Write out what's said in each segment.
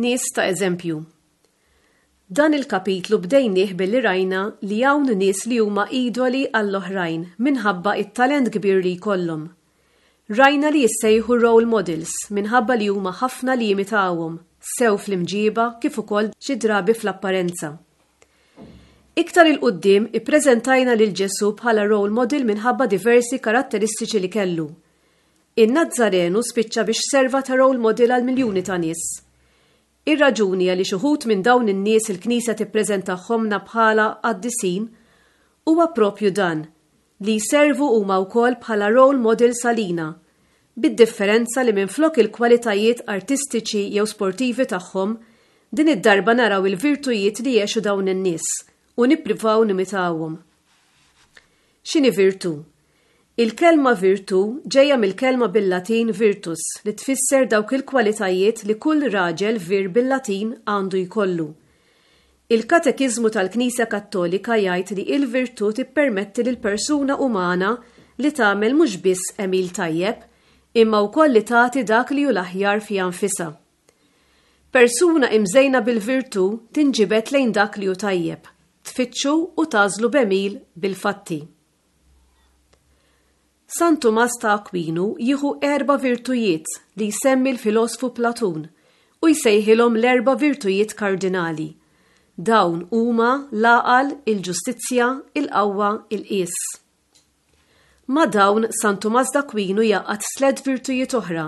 Nies ta' eżempju. Dan il-kapitlu bdejnieh billi rajna li hawn nies li huma idoli għall-oħrajn minħabba it-talent kbir li jkollhom. Rajna li jissejħu role models minħabba li huma ħafna li jimitawhom, sew fl-imġiba kif ukoll xi drabi fl-apparenza. Iktar 'il quddiem ippreżentajna lil Ġesù bħala role model minħabba diversi karatteristiċi li kellu. In-Nazzarenu spiċċa biex serva ta' role model għal miljuni ta' nies. Ir-raġuni għaliex uħud minn dawn in-nies il-Knisja tippreżentahomlna bħala qaddisin huwa propju dan, li jservu huma wkoll bħala role models għalina, bid-differenza li minflok il-kwalitajiet artistiċi jew sportivi tagħhom, din id-darba naraw il-virtujiet li għexu dawn in-nies u nippruvaw nimitawhom. X'inhi virtu? Il-kelma virtù ġejja mill-kelma bil-Latin virtus li tfisser dawk il-kwalitajiet li kull raġel vir bil-Latin għandu jkollu. Il-Katekiżmu tal-Knisja Kattolika jgħid li il-virtù tippermetti lill-persuna umana li tagħmel mhux biss għemil tajjeb, imma wkoll li tagħti dak li hu l-aħjar fiha nfisha. Persuna imżejna bil-virtù tinġibed lejn dak li hu tajjeb, tfittxu u tagħżlu b'għemil bil-fatti. San Tumas ta' Akwinu jieħu erba' virtujiet li jsemmi l-filosfu Platun u jsejħilhom l-erba' virtujiet kardinali. Dawn huma l-għaqal, il-ġustizzja, il-qawwa, il-qies. Ma' dawn San Tumas d'Akwinu jgħaqqad tliet virtujiet oħra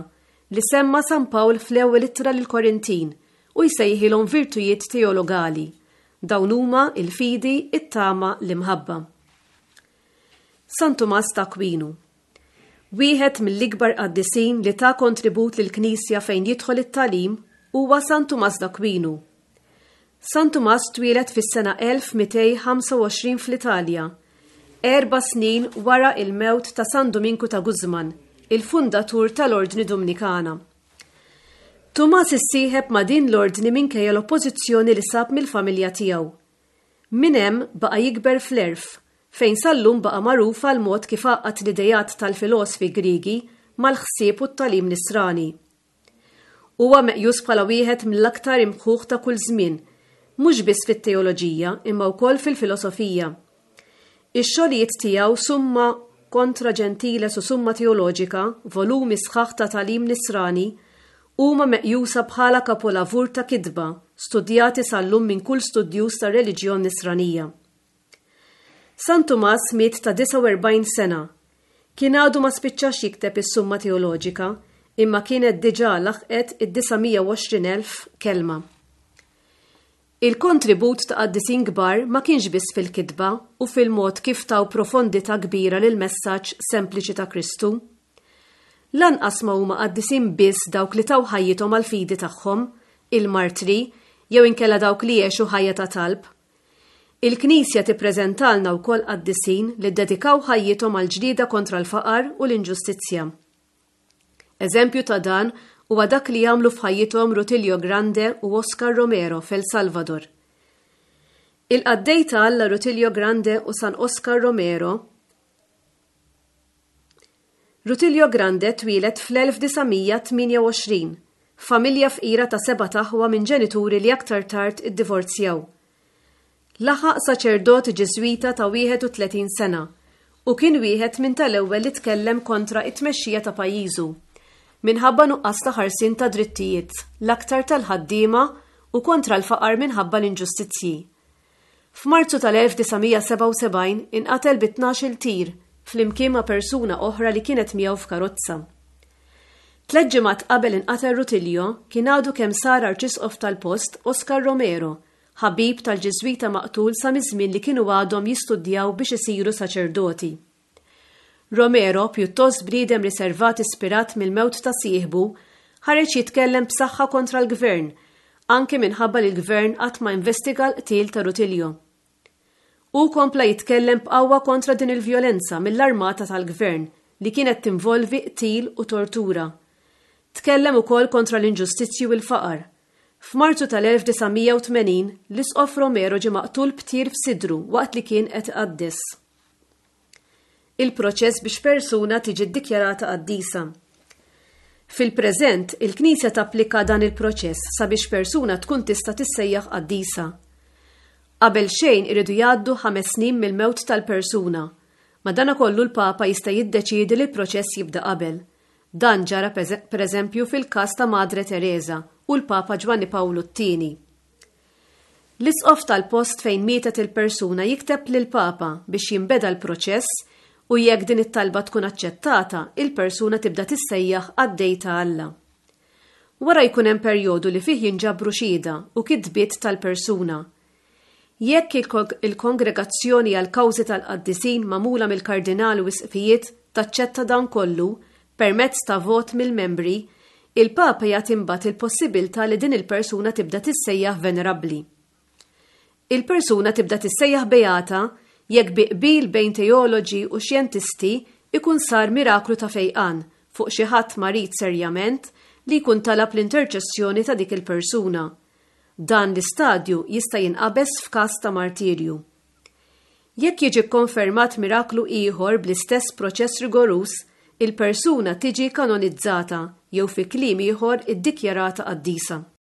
li semma San Pawl fl-ewwel ittra lill-Korintin u jsejħilhom virtujiet teologali. Dawn huma il-fidi, it-tama, l-imħabba. San Tumas ta' Akwinu. Wieħed mill-ikbar qaddisin li ta kontribut lill-Knisja fejn jidħol it-tagħlim huwa San Tumas d'Akwinu. San Tumas twieled fis-sena 1225 fl-Italja, 4 snin wara il-mewt ta' San Duminku ta' Guzman, il-fundatur tal-Ordni Dumnikana. Tumas issieħeb ma' din l-ordni minkejja l-oppożizzjoni li sab mill-familja tiegħu. Minn hemm baqa' jikber fl-għerf, fejn sal-lum baqa' magħruf għal mod kif għaqqad l-idejat tal-filosfi Griegi mal-ħsieb u t-tagħlim Nisrani. Huwa meqjus bħala wieħed mill-aktar imħuħ ta' kull żmien, mhux biss fit-teoloġija imma wkoll fil-filosofija. Ix-xogħlijiet tiegħu Summa kontra Gentiles u Summa Teoloġika, volumi sħaħ ta' tagħlim Nisrani, huma meqjusa bħala kapolavur ta' kitba, studjati sal-lum minn kull studjuż tar-reliġjon Nisranija. San Tumas miet ta' 49 sena. Kien għadu ma spiċċax jikteb is-Summa Teoloġika, imma kienet diġà laħqet id-920,000 kelma. Il-kontribut ta' qaddisin kbar ma kienx biss fil-kitba u fil-mod kif taw profondità kbira lil messaġġ sempliċi ta' Kristu. Lanqas ma huma qaddisin biss dawk li taw ħajjithom għall-fidi tagħhom, il-martri, jew inkella dawk li għexu ħajja ta' talb. Il-Knisja tippreżentalna wkoll qaddisin li ddedikaw ħajjithom għall-ġlieda kontra l-faqar u l-inġustizzja. Eżempju ta' dan huwa dak li jagħmlu f'ħajjithom Rutilio Grande u Oscar Romero f'El Salvador. Il-qaddej ta' Alla Rutilio Grande u San Oscar Romero. Rutilio Grande twieled fl-1928 f'familja fqira ta' seba' aħwa minn ġenituri li aktar tard iddivorzjaw. Laħaq saċerdot Ġiżwita ta' 31 sena u kien wieħed minn tal-ewwel li tkellem kontra it-tmexxija ta' pajjiżu minħabba nuqqas ta' ħarsien ta' drittijiet, l-aktar tal-ħaddiema u kontra l-faqar minħabba l-inġustizzji. F'Marzu tal-1977 inqatel bi 12 tir flimkien ma' persuna oħra li kienet miegħu f'karozza. 3 ġimgħat qabel inqatel Rutilio kien għadu kemm sar arċisqof tal-post Oscar Romero, ħabib tal-Ġiżwita maqtul sa miż-żmien li kienu għadhom jistudjaw biex isiru saċerdoti. Romero, pjuttost bniedem riservat ispirat mill-mewt ta' sieħbu, ħareġ jitkellem b'saħħa kontra l-gvern, anke minħabba li l-gvern qatt ma investiga l-qtil ta' Rutilio. Hu kompla jitkellem b'qawwa kontra din il-vjolenza mill-armata tal-gvern li kienet tinvolvi qtil u tortura. Tkellem ukoll kontra l-inġustizzji u l-faqar. F'Marzu tal-1980, l-Isqof Romero ġie maqtul b'tir f'sidru waqt li kien qed iqaddes. Il-proċess biex persuna tiġi ddikjarata qaddisa. Fil-preżent, il-Knisja tapplika dan il-proċess sabiex persuna tkun tista' tissejjaħ qaddisa. Qabel xejn iridu jgħaddu ħames snin mill-mewt tal-persuna. Madanakollu l-Papa jista' jiddeċiedi li l-proċess jibda qabel. Dan ġara pereżempju fil-każ ta' Madre Tereża u l-Papa Ġwanni Pawlu t-Tieni. L-isqof tal-post fejn mietet il-persuna jikteb lill-Papa biex jinbeda l-proċess u jekk din it-talba tkun aċċettata, il-persuna tibda tissejjaħ qaddej ta' Alla. Wara jkun hemm perjodu li fih jinġabru xhieda u kitbiet tal-persuna. Jekk il-Kongregazzjoni għall-Kawżi tal-Qaddisin magħmula mill-Kardinali u Isqfijiet taċċetta dan kollu, permezz ta' vot mill-membri, il-Papa jagħti mbagħad il-possibiltà li din il-persuna tibda tissejjaħ venerabbli. Il-persuna tibda tissejjaħ beata jekk bi qbil bejn teoloġi u xjentisti ikun sar miraklu ta' fejqan fuq xi ħadd marid serjament li jkun talab l-interċessjoni ta' dik il-persuna. Dan l-istadju jista' jinqabeż f'każ ta' martirju. Jekk jiġi kkonfermat miraklu ieħor bl-istess proċess rigoruż, il-persuna tiġi kanonizzata jew fi kliem ieħor iddikjarata qaddisa.